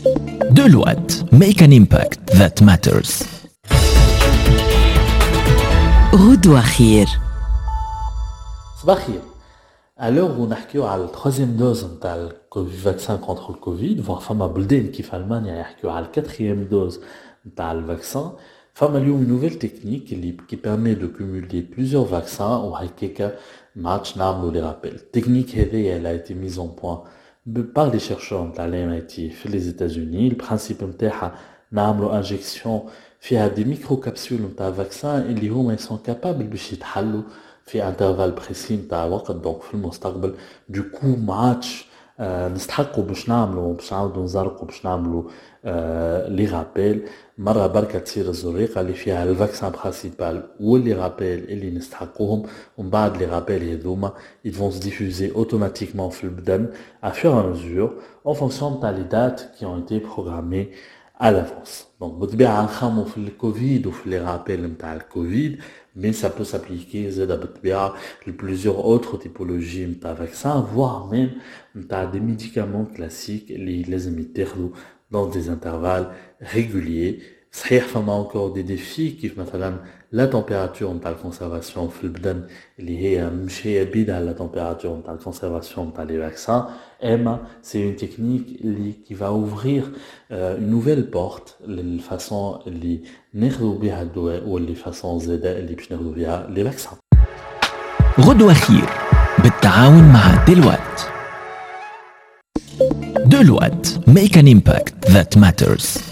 Deloitte, make an impact that matters. غدوة خير. صباح الخير. À l'heure où نحكيو على ال troisième dose نتاع ال vaccin contre الكوفيد، voire فما بلدان كيف المانيا يحكيو على ال quatrième dose نتاع ال vaccin، فما اليوم nouvelle technique اللي qui permet de cumuler plusieurs vaccins وهكاكا ما عادش نعملو les rappels. ال technique هذيا elle a été mise en point par les chercheurs نتاع ال MIT في les États-Unis. ال principe نتاعها نعملو injection فيها des microcapsules نتاع vaccin اللي هما sont capables باش يتحلوا في intervalle précis نتاع وقت، donc في المستقبل du coup ما عادش نستحقوا باش نعملوا، باش نعاودوا نزرقوا، باش نعملوا les rappels. مرة بركة تصير الزريقة اللي فيها ال vaccin principal و les rappels اللي نستحقوهم، ومن بعد les rappels هذوما ils vont se diffuser automatiquement في البدن à fur et à mesure en fonction تاع les dates qui ont été programmées à l'avance. Donc بالطبيعة نخمو في الكوفيد وفي les rappels نتاع الكوفيد، mais ça peut s'appliquer زادا بالطبيعة ل plusieurs autres typologies نتاع vaccins، voire même نتاع des médicaments classiques اللي لازم يتاخذوا dans des intervalles réguliers. صحيح فما encore des défis كيف مثلا la température نتاع ال conservation في البدن اللي هي مش هي بيدها la température نتاع ال conservation نتاع les vaccins، اما c'est une technique اللي qui va ouvrir une nouvelle porte لل façon اللي ناخذوا بها الدواء و les façons زاده اللي باش ناخذوا بها les vaccins. غدوة خير بالتعاون مع Deloitte. Deloitte, make an impact that matters.